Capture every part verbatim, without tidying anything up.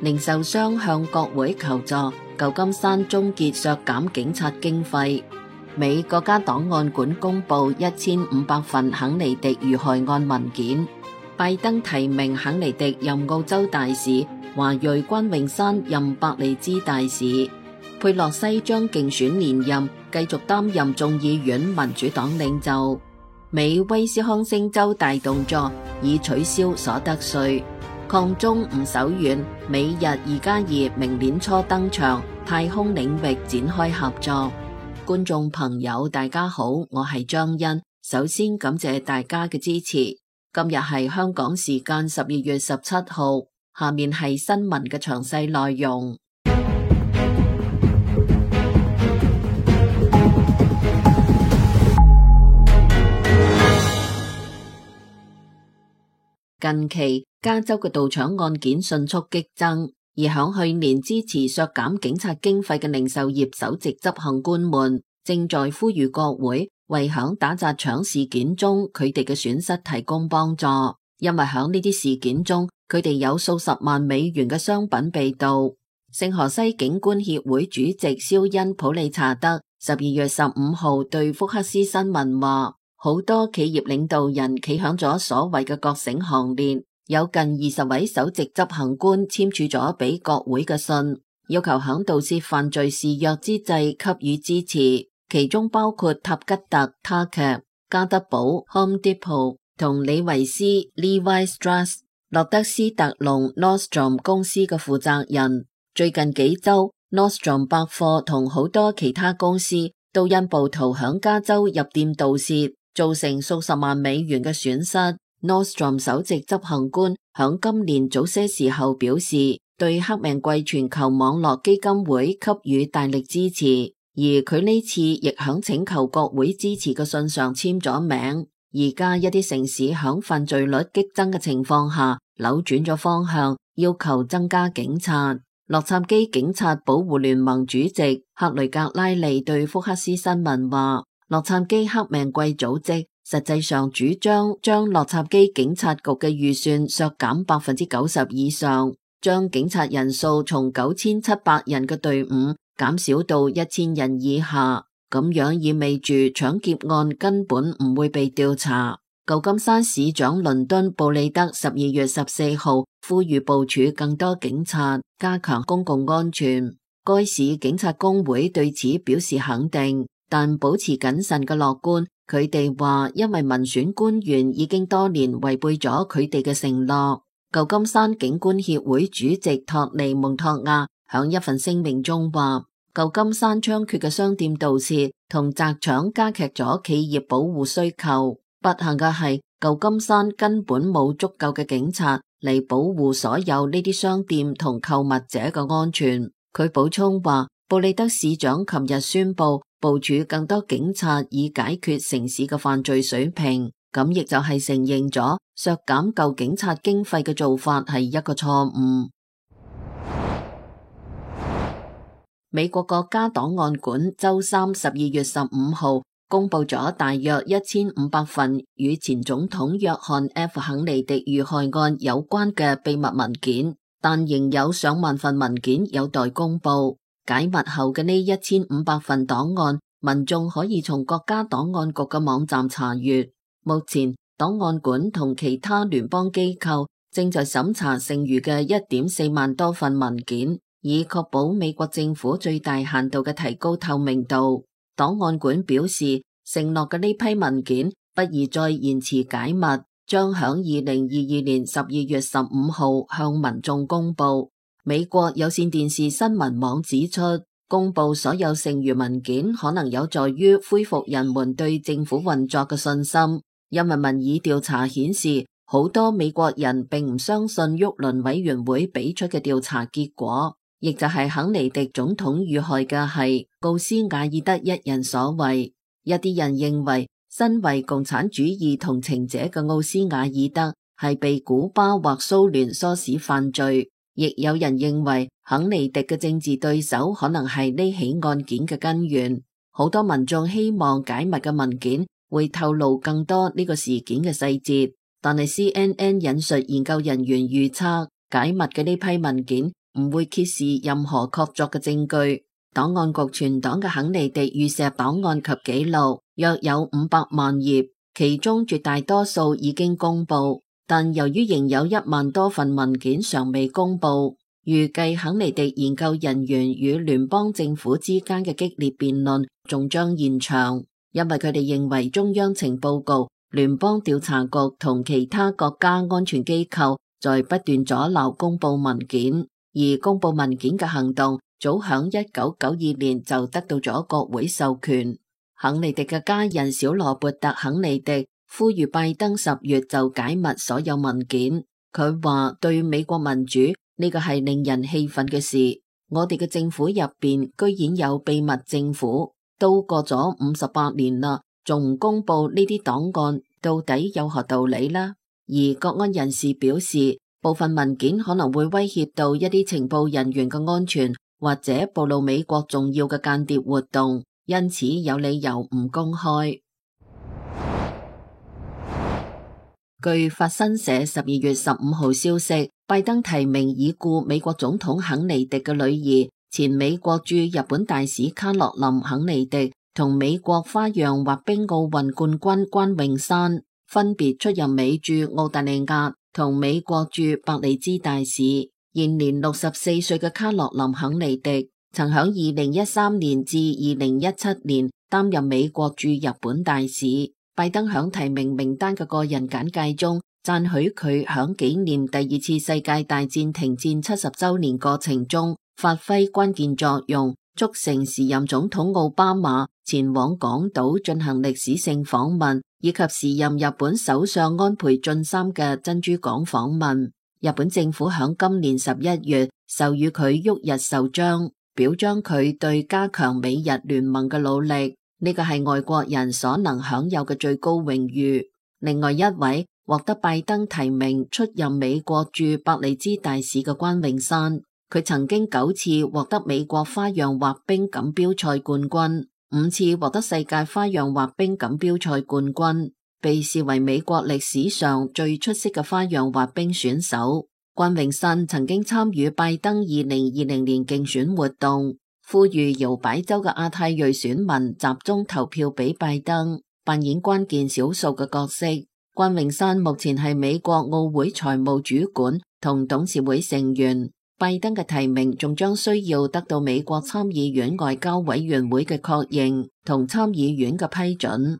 零售商向國會求助，舊金山終結削減警察經費。美國家檔案館公布一千五百份肯尼迪遇害案文件。拜登提名肯尼迪任澳洲大使，華裔關詠珊任伯利茲大使。佩洛西將競選連任，繼續擔任眾議院民主黨領袖。美威斯康星州大動作，已取消所得稅。抗中唔手軟，美日二加二明年初登場，太空領域展開合作。觀眾朋友大家好，我係張欣，首先感謝大家嘅支持。今日係香港時間十二月十七號，下面係新聞嘅詳細內容。近期加州嘅盜搶案件迅速激增，而響去年支持削減警察經費嘅零售業首席執行官們正在呼籲國會為響打砸搶事件中佢哋嘅損失提供幫助，因為響呢啲事件中佢哋有數十萬美元嘅商品被盜。聖荷西警官協會主席肖恩普利查德十二月十五號對福克斯新聞話，好多企業領導人企響咗所謂嘅覺醒行列，有近二十位首席執行官簽署咗俾國會嘅信，要求響盜竊犯罪肆虐之際給予支持，其中包括塔吉特 Target、加德堡 Home Depot 同李維斯 Levi Strauss、洛德斯特龍 Nordstrom 公司嘅負責人。最近幾周 Nordstrom 百貨同好多其他公司都因暴徒響加州入店盜竊造成數十萬美元嘅損失。Nordstrom 首席執行官響今年早些時候表示，對黑命貴全球網絡基金會給予大力支持，而佢呢次亦響請求國會支持嘅信上簽咗名。而家一啲城市響犯罪率激增嘅情況下扭轉咗方向，要求增加警察。洛杉磯警察保護聯盟主席克雷格拉利對福克斯新聞話，洛杉磯黑命貴組織實際上主張將洛杉磯警察局嘅預算削減百分之九十以上，將警察人數從九千七百人嘅隊伍減少到一千人以下，咁樣意味住搶劫案根本唔會被調查。舊金山市長倫敦布利德十二月十四號呼籲部署更多警察，加強公共安全。該市警察工會對此表示肯定，但保持謹慎嘅樂觀。佢哋話，因為民選官員已經多年違背咗佢哋嘅承諾。舊金山警官協會主席托尼蒙托亞響一份聲明中話，舊金山猖獗嘅商店盜竊同砸搶加劇咗企業保護需求。不幸嘅係，舊金山根本冇足夠嘅警察嚟保護所有呢啲商店同購物者嘅安全。佢補充話，布利德市長琴日宣布部署更多警察以解決城市嘅犯罪水平，咁亦就係承認咗削減舊警察經費嘅做法係一個錯誤。美國國家檔案館周三十二月十五號公布咗大約一千五百份與前總統約翰 F 肯尼迪遇害案有關嘅秘密文件，但仍有上萬份文件有待公布。解密後嘅呢一千五百份檔案，民眾可以從國家檔案局嘅網站查閱。目前，檔案館同其他聯邦機構正在審查剩餘嘅一點四萬多份文件，以確保美國政府最大限度嘅提高透明度。檔案館表示，承諾嘅呢批文件不宜再延遲解密，將響二零二二年十二月十五號向民眾公布。美國有線電視新聞網指出，公布所有剩餘文件可能有助於恢復人們對政府運作嘅信心，因為民意調查顯示，好多美國人並唔相信沃倫委員會俾出嘅調查結果，亦就係肯尼迪總統遇害嘅係奧斯瓦爾德一人所為。一啲人認為，身為共產主義同情者嘅奧斯瓦爾德係被古巴或蘇聯唆使犯罪。亦有人認為肯尼迪嘅政治對手可能係呢起案件嘅根源。好多民眾希望解密嘅文件會透露更多呢個事件嘅細節，但係 C N N 引述研究人員預測，解密嘅呢批文件唔會揭示任何確鑿嘅證據。檔案局存檔嘅肯尼迪遇刺檔案及紀錄約有五百萬頁，其中絕大多數已經公布，但由於仍有一萬多份文件尚未公布，預計肯尼迪研究人員與聯邦政府之間嘅激烈辯論仲將延長，因為佢哋認為中央情報局、聯邦調查局同其他國家安全機構在不斷阻撓公布文件，而公布文件嘅行動早響一九九二年就得到咗國會授權。肯尼迪嘅家人小羅伯特肯尼迪呼籲拜登十月就解密所有文件。佢話對美國民主呢個係令人氣憤嘅事。我哋嘅政府入邊居然有秘密政府，都過咗五十八年啦，仲唔公布呢啲檔案，到底有何道理啦？而國安人士表示，部分文件可能會威脅到一啲情報人員嘅安全，或者暴露美國重要嘅間諜活動，因此有理由唔公開。據法新社十二月十五號消息，拜登提名已故美國總統肯尼迪嘅女兒，前美國駐日本大使卡洛琳肯尼迪同美國花樣滑冰奧運冠軍關詠珊，分別出任美駐澳大利亞同美國駐伯利茲大使。現年六十四歲嘅卡洛琳肯尼迪曾響二零一三年至二零一七年擔任美國駐日本大使。拜登響提名名單嘅個人簡介中讚許佢響紀念第二次世界大戰停戰七十周年過程中發揮關鍵作用，促成時任總統奧巴馬前往港島進行歷史性訪問，以及時任日本首相安倍晉三嘅珍珠港訪問。日本政府響今年十一月授予佢旭日壽章，表彰佢對加強美日聯盟嘅努力。呢個係外國人所能享有嘅最高榮譽。另外一位獲得拜登提名出任美國駐伯利茲大使嘅關詠珊，佢曾經九次獲得美國花樣滑冰錦標賽冠軍，五次獲得世界花樣滑冰錦標賽冠軍，被視為美國歷史上最出色嘅花樣滑冰選手。關詠珊曾經參與拜登二零二零年競選活動，呼籲搖擺州嘅亞太裔選民集中投票俾拜登，扮演關鍵少數嘅角色。關詠珊目前係美國奧會財務主管同董事會成員。拜登嘅提名仲將需要得到美國參議院外交委員會嘅確認同參議院嘅批准。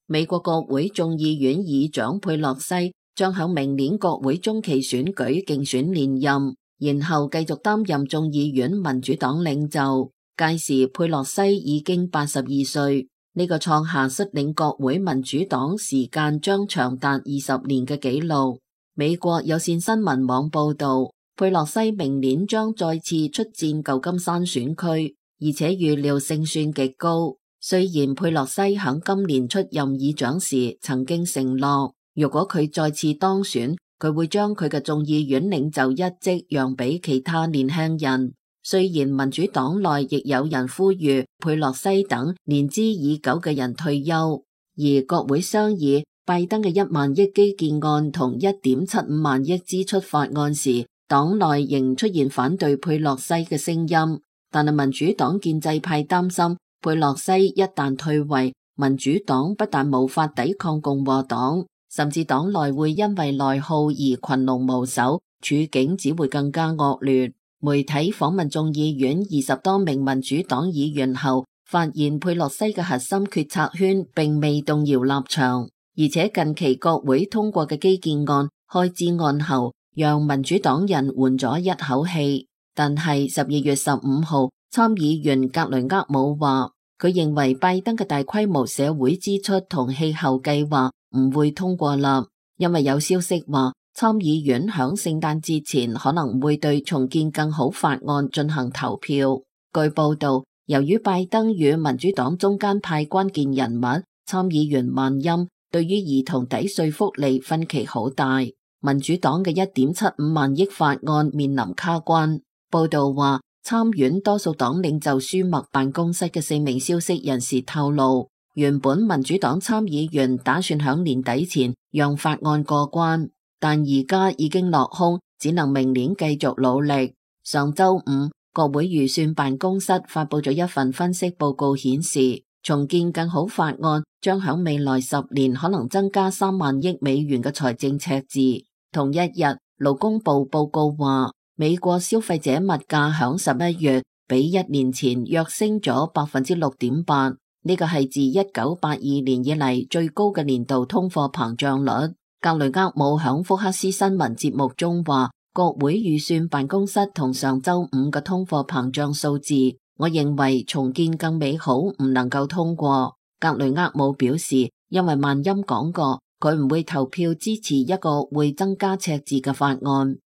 美國國會眾議院議長佩洛西將喺明年國會中期選舉競選連任，然後繼續擔任眾議院民主黨領袖。屆時佩洛西已經八十二歲，呢、這個創下率領國會民主黨時間將長達二十年嘅紀錄。美國有線新聞網報道，佩洛西明年將再次出戰舊金山選區，而且預料勝算極高。雖然佩洛西喺今年出任議長時曾經承諾，如果佢再次當選，佢會將佢嘅眾議院領袖一職讓俾其他年輕人。雖然民主黨內亦有人呼籲佩洛西等年資已久嘅人退休，而國會商議拜登嘅一萬億基建案同一點七五萬億支出法案時，黨內仍出現反對佩洛西嘅聲音。但係民主黨建制派擔心，佩洛西一旦退位，民主黨不但無法抵抗共和黨，甚至黨內會因為內耗而群龍無首，處境只會更加惡劣。媒體訪問眾議院二十多名民主黨議員後，發現佩洛西嘅核心決策圈並未動搖立場，而且近期國會通過嘅基建案、開支案後，讓民主黨人緩咗一口氣。但係十二月十五號，參議員格雷厄姆話，佢認為拜登嘅大規模社會支出同氣候計劃唔會通過啦，因為有消息話參議院響聖誕節前可能會對重建更好法案進行投票。據報道，由於拜登與民主黨中間派關鍵人物參議員萬欽對於兒童抵稅福利分歧好大，民主黨嘅一點七五萬億法案面臨卡關。報道話，參院多數黨領袖舒默辦公室嘅四名消息人士透露，原本民主黨參議員打算響年底前讓法案過關，但而家已經落空，只能明年繼續努力。上週五，國會預算辦公室發佈咗一份分析報告，顯示重建更好法案將響未來十年可能增加三萬億美元嘅財政赤字。同一日，勞工部報告話，美國消費者物價響十一月比一年前躍升咗百分之六點八，呢個係自一九八二年以嚟最高嘅年度通貨膨脹率。格雷厄姆響福克斯新聞節目中話，國會預算辦公室同上週五嘅通貨膨脹數字，我認為重建更美好唔能夠通過。格雷厄姆表示，因為萬欽講過，佢唔會投票支持一個會增加赤字嘅法案。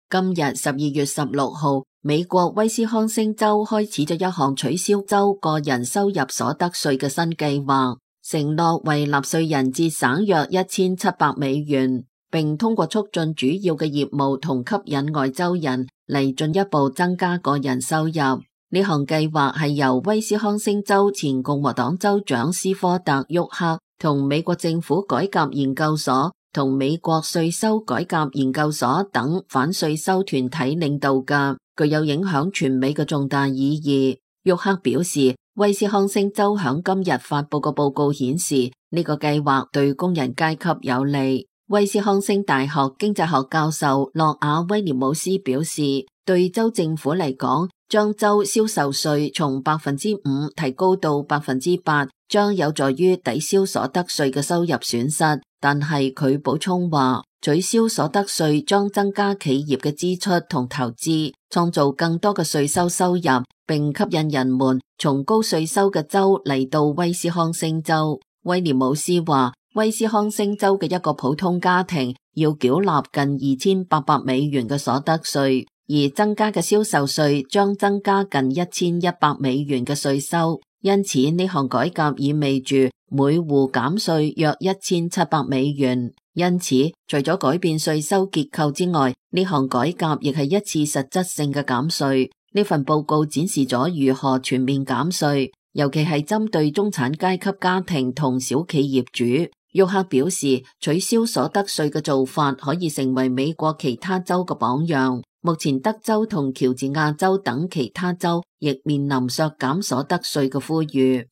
今日十二月十六號，美國威斯康星州開始咗一項取消州個人收入所得稅嘅新計劃，承諾為納稅人節省約一千七百美元，並通過促進主要嘅業務同吸引外州人嚟進一步增加個人收入。呢項計劃係由威斯康星州前共和黨州長斯科特沃克同美國政府改革研究所同美國稅收改革研究所等反稅收團體領導嘅，具有影響全美嘅重大意義。沃克表示，威斯康星州響今日發佈嘅報告顯示，呢個計劃對工人階級有利。威斯康星大學經濟學教授諾亞威廉姆斯表示，對州政府嚟講，將州銷售稅從百分之五提高到百分之八，將有助於抵消所得稅嘅收入損失。但係佢補充話，取消所得稅將增加企業嘅支出同投資，創造更多嘅稅收收入，並吸引人們從高稅收嘅州嚟到威斯康星州。威廉姆斯話，威斯康星州嘅一個普通家庭要繳納近二千八百美元嘅所得稅，而增加嘅銷售稅將增加近一千一百美元嘅稅收。因此呢項改革意味住每戶減稅約一千七百美元。因此除咗改變稅收結構之外，呢項改革亦係一次實質性嘅減稅。呢份報告展示咗如何全面減稅，尤其係針對中產階級家庭同小企業主。沃克表示，取消所得稅嘅做法可以成為美國其他州嘅榜樣。目前德州同喬治亞州等其他州亦面臨削減所得稅嘅呼籲。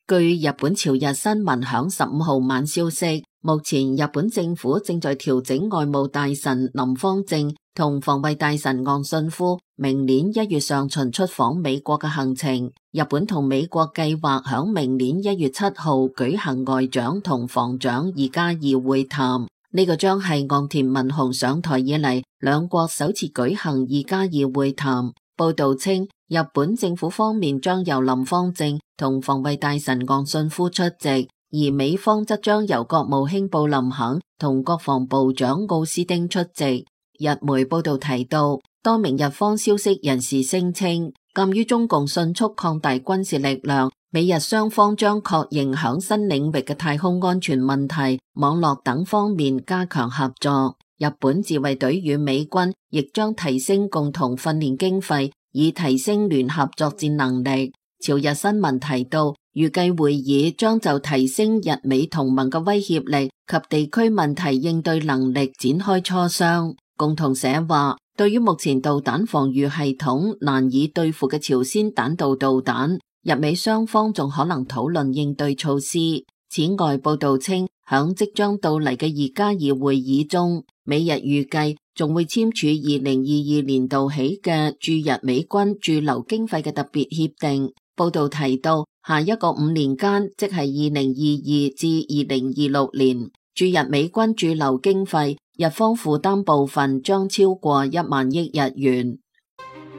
據日本朝日新聞響十五號晚消息，目前日本政府正在調整外務大臣林芳正同防衛大臣岸信夫明年一月上旬出訪美國嘅行程。日本同美國計劃響明年一月七號舉行外長同防長二加二會談。呢個將係岸田文雄上台以嚟兩國首次舉行二加二會談。報道稱，日本政府方面將由林芳正同防衛大臣岸信夫出席，而美方則將由國務卿布林肯同國防部長奧斯汀出席。日媒報道提到，多名日方消息人士聲稱，鑒於中共迅速擴大軍事力量，美日雙方將確認響新領域嘅太空安全問題、網絡等方面加強合作。日本自衛隊與美軍亦將提升共同訓練經費，以提升聯合作戰能力。朝日新聞提到，預計會議將就提升日美同盟嘅威脅力及地區問題應對能力展開磋商。共同社話，對於目前導彈防禦系統難以對付嘅朝鮮彈道導彈，日美雙方仲可能討論應對措施。此外，報道稱，響即將到嚟嘅二加二會議中，美日預計仲會簽署二零二二年度起嘅駐日美軍駐留經費嘅特別協定。報道提到，下一個五年間，即係二零二二至二零二六年，駐日美軍駐留經費，日方負擔部分將超過一萬億日元。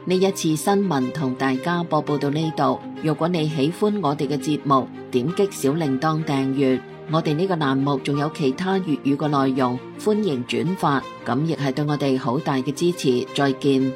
呢一次新聞同大家播報到呢度。如果你喜歡我哋嘅節目，點擊小鈴鐺訂閱。我哋呢個欄目仲有其他粵語嘅內容，歡迎轉發，咁亦係對我哋好大嘅支持。再見。